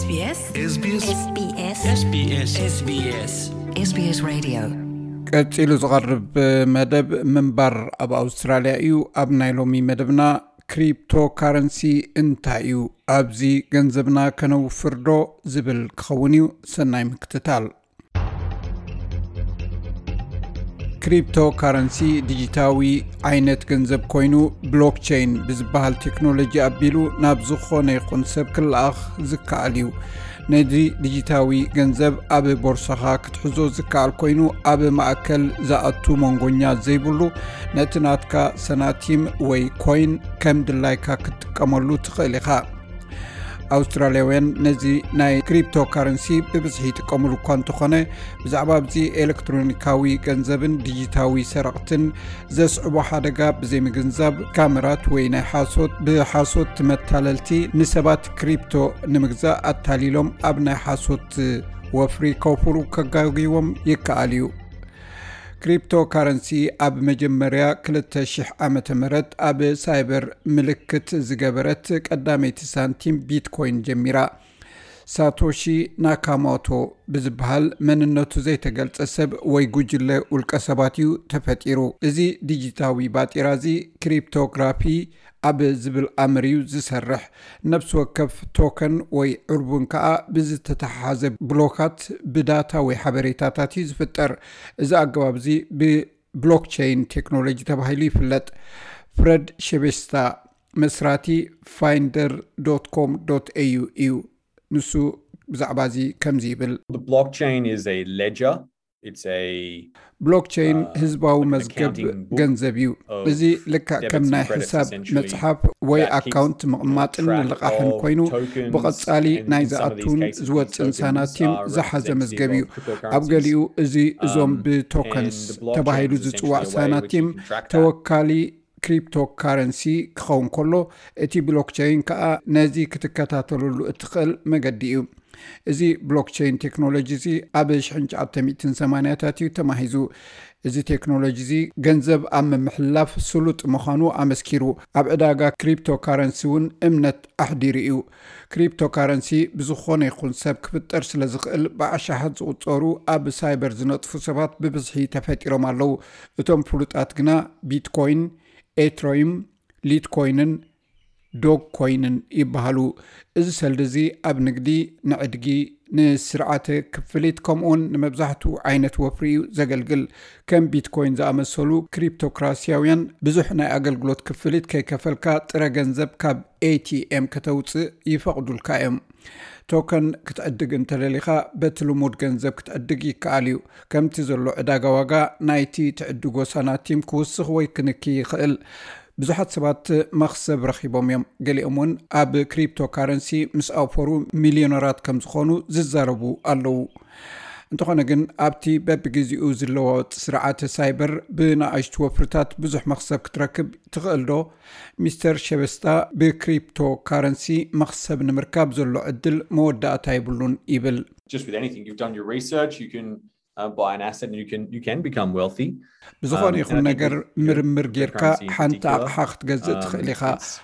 SBS SBS SBS SBS SBS SBS SBS Radio. ቀጺሉ ዝቐርብ መደብ ምንባር ኣብ ኣውስትራልያ እዩ። ኣብ ናይ ሎሚ መደብና ክሪፕቶ ካረንሲ እንታይ እዩ፣ ኣብዚ ገንዘብና ከነውፍር ዶ ዝብል ክኸውን እዩ። ሰናይ ምክትታል። ክሪፕቶ ካረንሲ ዲጂታዊ ዓይነት ገንዘብ ኮይኑ፣ ብሎክቸይን ብዝበሃል ቴክኖሎጂ ኣቢሉ ናብ ዝኾነ ይኹን ሰብ ክለኣኽ ዝከኣል እዩ። ነዚ ዲጂታዊ ገንዘብ ኣብ ቦርሳኻ ክትሕዞ ዝከኣል ኮይኑ፣ ኣብ ማእከል ዝኣቱ መንጎኛ ዘይብሉ፣ ነቲ ናትካ ሰናቲም ወይ ኮይን ከም ድላይካ ክትጥቀመሉ ትኽእል ኢኻ። ኣውስትራልያውያን ነዚ ናይ ክሪፕቶ ካረንሲ ብብዝሒ ይጥቀምሉ እኳ እንተኾነ፣ ብዛዕባ ኣብዚ ኤሌክትሮኒካዊ ገንዘብን ዲጂታዊ ሰረቕትን ዘስዕቦ ሓደጋ ብዘይምግንዛብ፣ ካመራት ወይ ናይ ሓሶት፣ ብሓሶት መታለልቲ ንሰባት ክሪፕቶ ንምግዛእ ኣታሊሎም ኣብ ናይ ሓሶት ወፍሪ ከውፍሩ ከጋግይዎም ይከኣል እዩ። ክሪፕቶ ካረንሲ ኣብ መጀመርያ ክልተ ሽሕ ዓመተ ምህረት ኣብ ሳይበር ምልክት ዝገበረት ቀዳመይቲ ሳንቲም ቢትኮይን ጀሚራ። ሳቶሺ ናካሞቶ ብዝበሃል መንነቱ ዘይተገልጸ ሰብ ወይ ጉጅለ ውልቀ ሰባት እዩ ተፈጢሩ። እዚ ዲጂታዊ ባጤራ እዚ ክሪፕቶግራፊ ኣብ ዝብል ኣምር እዩ ዝሰርሕ። ነፍሲ ወከፍ ቶከን ወይ ዕርቡን ከኣ ብዝተተሓሓዘ ብሎካት ብዳታ ወይ ሓበሬታታት እዩ ዝፍጠር። እዚ ኣገባብ እዚ ብብሎክቸይን ቴክኖሎጂ ተባሂሉ ይፍለጥ። ፍረድ ሸቤስታ መስራቲ ፋይንደር ዶት ኮም ዶት ኤዩ እዩ። ንሱ ብዛዕባ እዚ ከምዚ ይብል። The blockchain is a ledger. It's a ብሎክቸይን ህዝባዊ መዝገብ ገንዘብ እዩ። እዚ ልክዕ ከም ናይ ሕሳብ መጽሓፍ ወይ ኣካውንት ምቕማጥን ልቓሕን ኮይኑ፣ ብቐጻሊ ናይ ዝኣቱን ዝወጽን ሳናቲም ዝሓዘ መዝገብ እዩ። ኣብ ገሊኡ እዚ እዞም ብቶከንስ ተባሂሉ ዝጽዋዕ ሳናቲም ተወካሊ ክሪፕቶ ካረንሲ ክኸውን ከሎ፣ እቲ ብሎክቸይን ከኣ ነዚ ክትከታተለሉ እትኽእል መገዲ እዩ። እዚ ብሎክቸይን ቴክኖሎጂ እዚ ኣብ ሽሕን ትሽዓተ ሚእትን ሰማንያታት እዩ ተማሂዙ። እዚ ቴክኖሎጂ እዚ ገንዘብ ኣብ ምምሕልላፍ ስሉጥ ምዃኑ ኣመስኪሩ። ኣብ ዕዳጋ ክሪፕቶ ካረንሲ እውን እምነት ኣሕዲሩ እዩ። ክሪፕቶ ካረንሲ ብዝኾነ ይኹን ሰብ ክፍጠር ስለ ዝኽእል፣ ብኣሽሓት ዝቑጸሩ ኣብ ሳይበር ዝነጥፉ ሰባት ብብዝሒ ተፈጢሮም ኣለዉ። እቶም ፍሉጣት ግና ቢትኮይን፣ ኤትሮይም፣ ሊትኮይንን ዶግ ኮይንን ይበሃሉ። እዚ ሰልዲ እዚ ኣብ ንግዲ፣ ንዕድጊ፣ ንስርዓተ ክፍሊት ከምኡውን ንመብዛሕትኡ ዓይነት ወፍሪ እዩ ዘገልግል። ከም ቢትኮይን ዝኣመሰሉ ክሪፕቶክራሲያውያን ብዙሕ ናይ ኣገልግሎት ክፍሊት ከይከፈልካ ጥረ ገንዘብ ካብ ኤቲኤም ከተውጽእ ይፈቕዱልካ እዮም። ቶከን ክትዕድግ እንተደሊኻ በቲ ልሙድ ገንዘብ ክትዕድግ ይከኣል እዩ። ከምቲ ዘሎ ዕዳጋ ዋጋ ናይቲ ትዕድጎ ሳናቲም ክውስኽ ወይ ክንኪ ይኽእል። ብዙሓት ሰባት መኽሰብ ረኺቦም እዮም። ገሊኦም እውን ኣብ ክሪፕቶ ካረንሲ ምስ ኣውፈሩ ሚልዮነራት ከም ዝኾኑ ዝዛረቡ ኣለዉ። እንተኾነ ግን ኣብቲ በብግዜኡ ዝለዋወጥ ስርዓተ ሳይበር ብንኣሽቱ ወፍርታት ብዙሕ መኽሰብ ክትረክብ ትኽእል ዶ? ሚስተር ሸበስታ ብክሪፕቶ ካረንሲ መኽሰብ ንምርካብ ዘሎ ዕድል መወዳእታ የብሉን ይብል። Just with anything, you've done your research, you can uh, buy an asset and you can you can become wealthy. ብዝኾነ ይኹን ነገር ምርምር ጌርካ ሓንቲ ኣቕሓ ክትገዝእ ትኽእል ኢኻ።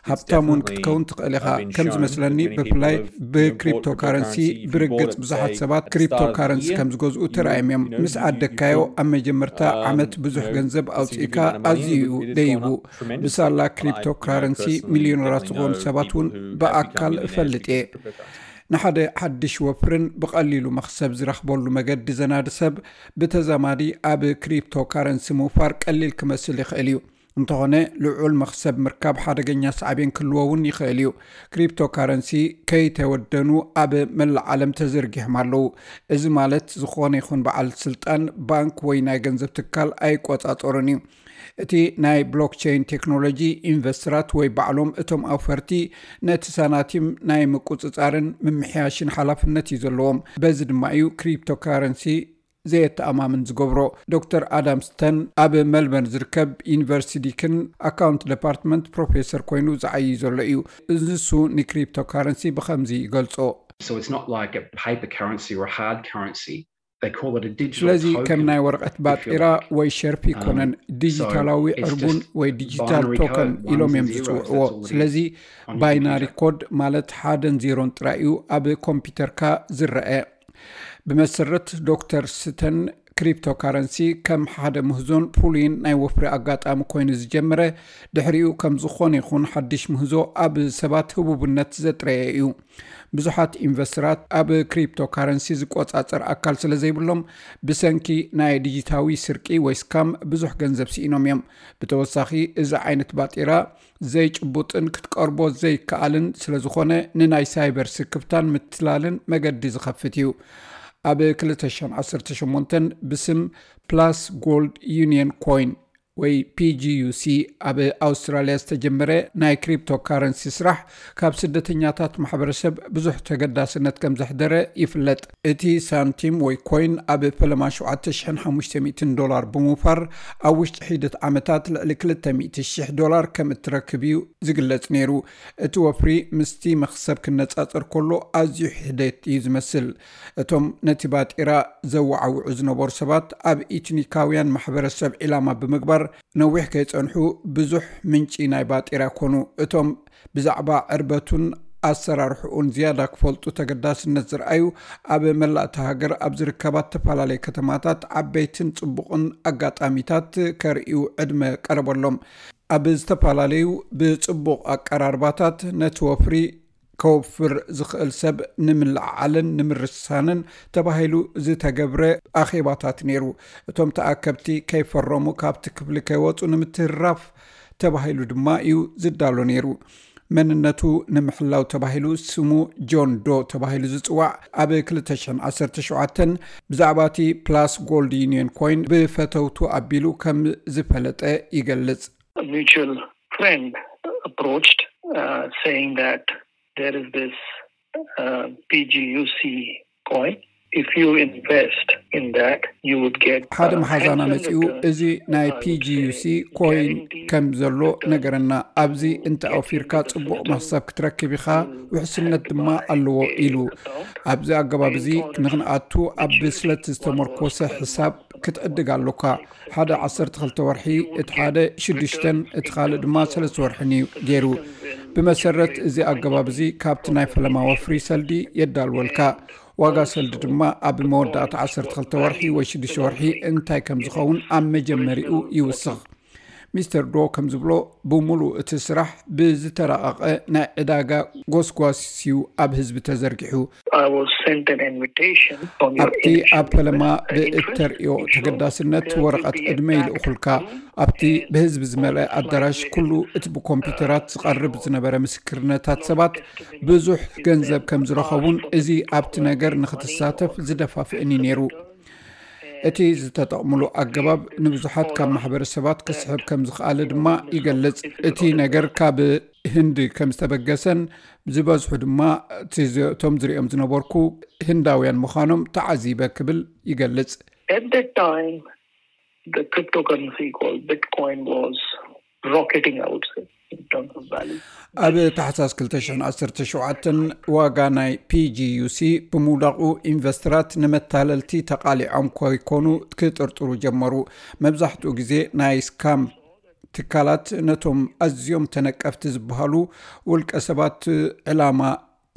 ሃብታም እውን ክትከውን ትኽእል ኢኻ። ከም ዝመስለኒ ብፍላይ ብክሪፕቶ ካረንሲ ብርግጽ ብዙሓት ሰባት ክሪፕቶ ካረንሲ ከም ዝገዝኡ ተራእዮም እዮም። ምስ ዓደግካዮ ኣብ መጀመርታ ዓመት ብዙሕ ገንዘብ ኣውፅእካ ኣዝዩ እዩ ደይቡ። ብሳላ ክሪፕቶ ካረንሲ ሚልዮነራት ዝኾኑ ሰባት እውን ብኣካል እፈልጥ እየ። ንሓደ ሓድሽ ወፍርን ብቐሊሉ መኽሰብ ዝረኽበሉ መገዲ ዘናዲ ሰብ ብተዛማዲ ኣብ ክሪፕቶ ካረንሲ ምውፋር ቀሊል ክመስል ይኽእል እዩ። እንተኾነ ልዑል መኽሰብ ምርካብ ሓደገኛ ሳዕቤን ክህልዎ እውን ይኽእል እዩ። ክሪፕቶ ካረንሲ ከይተወደኑ ኣብ መላእ ዓለም ተዘርጊሖም ኣለዉ። እዚ ማለት ዝኾነ ይኹን በዓል ስልጣን ባንክ ወይ ናይ ገንዘብ ትካል ኣይቆጻጸሩን እዩ። እቲ ናይ ብሎክቸይን ቴክኖሎጂ ኢንቨስተራት ወይ ባዕሎም እቶም ኣውፈርቲ ነቲ ሳናቲም ናይ ምቁጽጻርን ምምሕያሽን ሓላፍነት እዩ ዘለዎም። በዚ ድማ እዩ ክሪፕቶ ካረንሲ ዘየተኣማምን ዝገብሮ። ዶክተር ኣዳም ስተን ኣብ መልበርን ዝርከብ ዩኒቨርሲቲ ዲክን ኣካውንት ዲፓርትመንት ፕሮፌሰር ኮይኑ ዝዓይይ ዘሎ እዩ። ንሱ ንክሪፕቶ ካረንሲ ብኸምዚ ይገልጾ። So it's not like a paper currency or a hard currency. ስለዚ ከም ናይ ወረቐት ባጤራ ወይ ሸርፊ ይኮነን፣ ዲጂታላዊ ዕርቡን ወይ ዲጂታል ቶከን ኢሎም እዮም ዝፅውዕዎ። ስለዚ ባይናሪ ኮድ ማለት ሓደን ዜሮን ጥራይ እዩ ኣብ ኮምፒውተርካ ዝረአ። ብመሰረት ዶክተር ስተን፣ ክሪፕቶካረንሲ ከም ሓደ ምህዞን ፍሉይን ናይ ወፍሪ ኣጋጣሚ ኮይኑ ዝጀመረ፣ ድሕሪኡ ከም ዝኾነ ይኹን ሓድሽ ምህዞ ኣብ ሰባት ህቡብነት ዘጥረየ እዩ። ብዙሓት ኢንቨስተራት ኣብ ክሪፕቶካረንሲ ዝቆጻጸር ኣካል ስለ ዘይብሎም፣ ብሰንኪ ናይ ዲጂታዊ ስርቂ ወይ ስካም ብዙሕ ገንዘብ ስኢኖም እዮም። ብተወሳኺ፣ እዚ ዓይነት ባጤራ ዘይጭቡጥን ክትቀርቦ ዘይከኣልን ስለ ዝኾነ፣ ንናይ ሳይበር ስክፍታን ምትላልን መገዲ ዝኸፍት እዩ። ኣብ ክልተ ሽሕን ዓሰርተ ሸሞንተን ብስም ፕላስ ጎልድ ዩኒየን ኮይን ወይ ፒ ጂ ዩ ሲ ኣብ ኣውስትራልያ ዝተጀመረ ናይ ክሪፕቶ ካረንሲ ስራሕ፣ ካብ ስደተኛታት ማሕበረሰብ ብዙሕ ተገዳስነት ከም ዘሕደረ ይፍለጥ። እቲ ሳንቲም ወይ ኮይን ኣብ ፈለማ ሸውዓተ ሽሕን ሓሙሽተ ሚእትን ዶላር ብምውፋር፣ ኣብ ውሽጢ ሒደት ዓመታት ልዕሊ ክልተ ሚእቲ ሽሕ ዶላር ከም እትረክብ እዩ ዝግለጽ ነይሩ። እቲ ወፍሪ ምስቲ መኽሰብ ክነጻጸር ከሎ ኣዝዩ ሒደት እዩ ዝመስል። እቶም ነቲ ባጤራ ዘወዓውዑ ዝነበሩ ሰባት፣ ኣብ ኢትኒካውያን ማሕበረሰብ ዒላማ ብምግባር፣ ነዊሕ ከይጸንሑ ብዙሕ ምንጪ ናይ ባጤራ ኮኑ። እቶም ብዛዕባ ዕርበቱን ኣሰራርሕኡን ዝያዳ ክፈልጡ ተገዳስነት ዝረኣዩ፣ ኣብ መላእ እታ ሃገር ኣብ ዝርከባ እተፈላለየ ከተማታት ዓበይትን ጽቡቕን ኣጋጣሚታት ከርእዩ ዕድመ ቀረበሎም። ኣብ ዝተፈላለዩ ብጽቡቕ ኣቀራርባታት ነቲ ወፍሪ ከወፍር ዝኽእል ሰብ ንምልዕዓልን ንምርሳንን ተባሂሉ ዝተገብረ ኣኼባታት ነይሩ። እቶም ተኣከብቲ ከይፈረሙ፣ ካብቲ ክፍሊ ከይወጹ ንምትህርራፍ ተባሂሉ ድማ እዩ ዝዳሎ ነይሩ። መንነቱ ንምሕላው ተባሂሉ፣ ስሙ ጆን ዶ ተባሂሉ ዝጽዋዕ፣ ኣብ ክልተ ሽሕን ዓሰርተ ሸውዓተን ብዛዕባ እቲ ፕላስ ጎልድ ዩኒየን ኮይን ብፈተውቱ ኣቢሉ ከም ዝፈለጠ ይገልጽ። A mutual friend approached, uh, saying that there is this, uh, P G U C coin. If you invest in that, you would get, ሓደ uh, መሓዛና handsome መጺኡ፣ returns, እዚ ናይ I would ፒ ጂ ዩ ሲ say, ኮይን guaranteed ከም ዘሎ returns ነገረና። ኣብዚ to እንተ get ኣውፊርካ into the ጽቡቕ system. መኽሰብ ክትረክብ ኢኻ፣ ውሕስነት ድማ ኣለዎ ኢሉ። ኣብዚ ኣገባብ እዚ ንኽንኣቱ ኣብ ብስለት ዝተመርኮሰ ሕሳብ ክትዕድግ ኣሎካ። ሓደ ዓሰርተ ክልተ ወርሒ፣ እቲ ሓደ ሽዱሽተን፣ እቲ ካልእ ድማ ሰለስተ ወርሕን እዩ ገይሩ። ብመሰረት እዚ ኣገባብ እዚ፣ ካብቲ ናይ ፈለማ ወፍሪ ሰልዲ የዳልወልካ። ዋጋ ሰልዲ ድማ ኣብ መወዳእታ ዓሰርተ ክልተ ወርሒ ወይ ሽዱሽተ ወርሒ እንታይ ከም ዝኸውን ኣብ መጀመሪኡ ይውስኽ። ሚስተር ዶ ከም ዝብሎ፣ ብምሉእ እቲ ስራሕ ብዝተራቐቐ ናይ ዕዳጋ ጎስጓስ እዩ ኣብ ህዝቢ ተዘርጊሑ። I was sent an invitation from your ኣብቲ initial ኣብ ፈለማ request. ብእተርእዮ ተገዳስነት ወረቐት ዕድመ ይልእኹልካ። ኣብቲ ብህዝቢ ዝመልአ ኣዳራሽ፣ ኩሉ እቲ ብኮምፒውተራት ዝቐርብ ዝነበረ ምስክርነታት ሰባት ብዙሕ ገንዘብ ከም ዝረኸቡን፣ እዚ ኣብቲ ነገር ንኽትሳተፍ ዝደፋፍእን እዩ ነይሩ። እቲ ዝተጠቕምሉ ኣገባብ ንብዙሓት ካብ ማሕበረሰባት ክስሕብ ከም ዝኸኣለ ድማ ይገልጽ። እቲ ነገር ካብ ህንዲ ከም ዝተበገሰን፣ ዝበዝሑ ድማ እቲ ዝ-፣ እቶም ዝሪኦም ዝነበርኩ ህንዳውያን ምዃኖም ተዓዚበ ክብል ይገልጽ። At that time, the cryptocurrency called Bitcoin was rocketing, I would say, in terms of value. ኣብ ታሕሳስ ክልተ ሽሕን ዓሰርተ ሸውዓተን ዋጋ ናይ ፒ ጂ ዩ ሲ ብምውዳቑ፣ ኢንቨስተራት ንመታለልቲ ተቓሊዖም ከይኮኑ ክጥርጥሩ ጀመሩ። መብዛሕትኡ ግዜ ናይ ስካም ትካላት ነቶም ኣዝዮም ተነቀፍቲ ዝበሃሉ ውልቀ ሰባት ዕላማ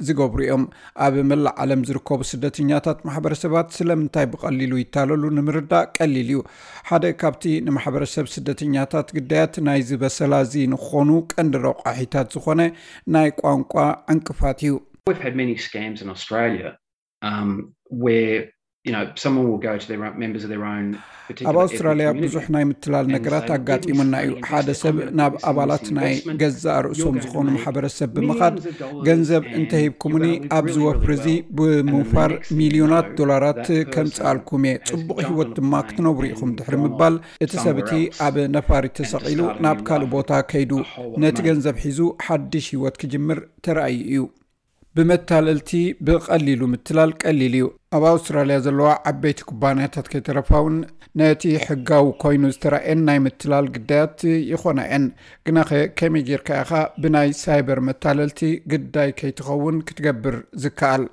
ዝገብሩ እዮም። ኣብ መላእ ዓለም ዝርከቡ ስደተኛታት ማሕበረሰባት ስለምንታይ ብቐሊሉ ይታለሉ ንምርዳእ ቀሊል እዩ። ሓደ ካብቲ ንማሕበረሰብ ስደተኛታት ግዳያት ናይዚ በሰላ እዚ ንክኾኑ ቀንዲ ረቋሒታት ዝኾነ ናይ ቋንቋ ዕንቅፋት እዩ። We've had many scams in Australia, um, where, you know, someone will go to their own, members of their own particular ኣብ ኣውስትራልያ ethnic community ብዙሕ ናይ ምትላል and ነገራት say, "Give me ኣጋጢሙና some እዩ። money, ሓደ give me ሰብ some ናብ investment, ኣባላት ናይ ገዛእ ርእሶም ዝኾኑ ማሕበረሰብ ብምኻድ፣ ገንዘብ እንተሂብኩምኒ ኣብዚ ወፍሪ እዚ ብምውፋር ሚልዮናት ዶላራት ከምጽኣልኩም እየ፣ ጽቡቕ ህይወት ድማ ክትነብሩ ኢኹም" ድሕሪ ምባል፣ እቲ ሰብ እቲ ኣብ ነፋሪት ተሰቒሉ ናብ ካልእ ቦታ ከይዱ፣ ነቲ ገንዘብ ሒዙ ሓድሽ ህይወት ክጅምር ተራእዩ እዩ። ብመታለልቲ ብቐሊሉ ምትላል ቀሊል እዩ። ኣብ ኣውስትራልያ ዘለዋ ዓበይቲ ኩባንያታት ከይተረፋ እውን ነቲ ሕጋዊ ኮይኑ ዝተራእየን ናይ ምትላል ግዳያት ይኾና እየን። ግናኸ ከመይ ጌርካ ኢኻ ብናይ ሳይበር መታለልቲ ግዳይ ከይትኸውን ክትገብር ዝከኣል?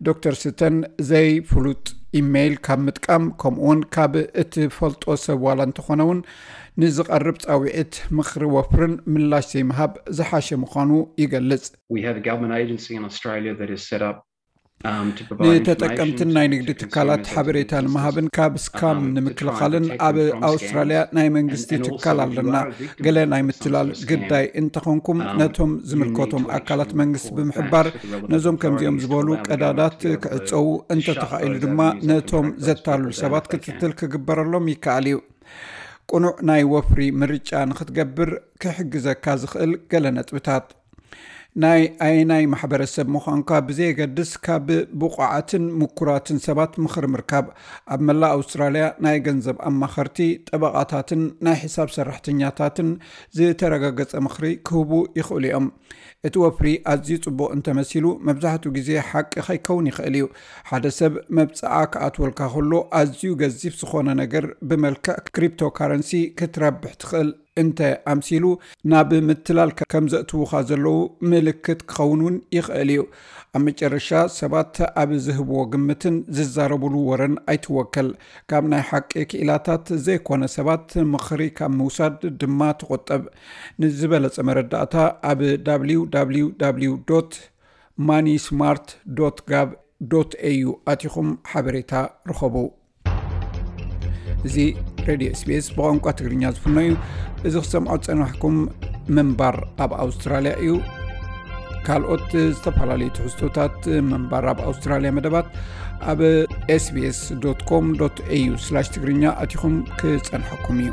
ዶክተር ስተን ዘይፍሉጥ ኢሜይል ካብ ምጥቃም፣ ከምኡውን ካብ እትፈልጦ ሰብ ዋላ እንተኾነ እውን ንዝቐርብ ጻውዒት፣ ምኽሪ ወፍርን ምላሽ ዘይምሃብ ዝሓሸ ምዃኑ ይገልጽ። We have a government agency in Australia that is set up ንተጠቀምትን ናይ ንግዲ ትካላት ሓበሬታ ንምሃብን ካብ ስካም ንምክልኻልን ኣብ ኣውስትራልያ ናይ መንግስቲ ትካል ኣለና። ገለ ናይ ምትላል ግዳይ እንተኾንኩም፣ ነቶም ዝምልከቶም ኣካላት መንግስቲ ብምሕባር፣ ነዞም ከምዚኦም ዝበሉ ቀዳዳት ክዕፀዉ፣ እንተተኻኢሉ ድማ ነቶም ዘታልሉ ሰባት ክትትል ክግበረሎም ይከኣል እዩ። ቅኑዕ ናይ ወፍሪ ምርጫ ንክትገብር ክሕግዘካ ዝኽእል ገለ ነጥብታት። ናይ ኣየናይ ማሕበረሰብ ምዃንካ ብዘየገድስ፣ ካብ ብቑዓትን ምኩራትን ሰባት ምኽሪ ምርካብ። ኣብ መላእ ኣውስትራልያ ናይ ገንዘብ ኣማኸርቲ፣ ጠበቓታትን ናይ ሕሳብ ሰራሕተኛታትን ዝተረጋገጸ ምኽሪ ክህቡ ይኽእሉ እዮም። እቲ ወፍሪ ኣዝዩ ጽቡቕ እንተመሲሉ፣ መብዛሕትኡ ግዜ ሓቂ ከይከውን ይኽእል እዩ። ሓደ ሰብ መብጽዓ ክኣትወልካ ከሎ፣ ኣዝዩ ገዚፍ ዝኾነ ነገር ብመልክዕ ክሪፕቶካረንሲ ክትረብሕ ትኽእል እንተ ኣምሲሉ፣ ናብ ምትላል ከም ዘእትዉኻ ዘለዉ ምልክት ክኸውን እውን ይኽእል እዩ። ኣብ መጨረሻ፣ ሰባት ኣብ ዝህብዎ ግምትን ዝዛረቡሉ ወረን ኣይትወከል። ካብ ናይ ሓቂ ክኢላታት ዘይኮነ ሰባት ምኽሪ ካብ ምውሳድ ድማ ተቖጠብ። ንዝበለጸ መረዳእታ፣ ኣብ www.moneysmart.gov.au ኣቲኹም ሓበሬታ ርኸቡ። እዚ ሬድዮ ኤስቢኤስ ብቋንቋ ትግርኛ ዝፍኖ እዩ። እዚ ክሰምዖ ዝጸናሕኩም ምንባር ኣብ ኣውስትራልያ እዩ። ካልኦት ዝተፈላለዩ ትሕዝቶታት ምንባር ኣብ ኣውስትራልያ መደባት ኣብ sbs.com.au/ትግርኛ ኣቲኹም ክጸንሐኩም እዩ።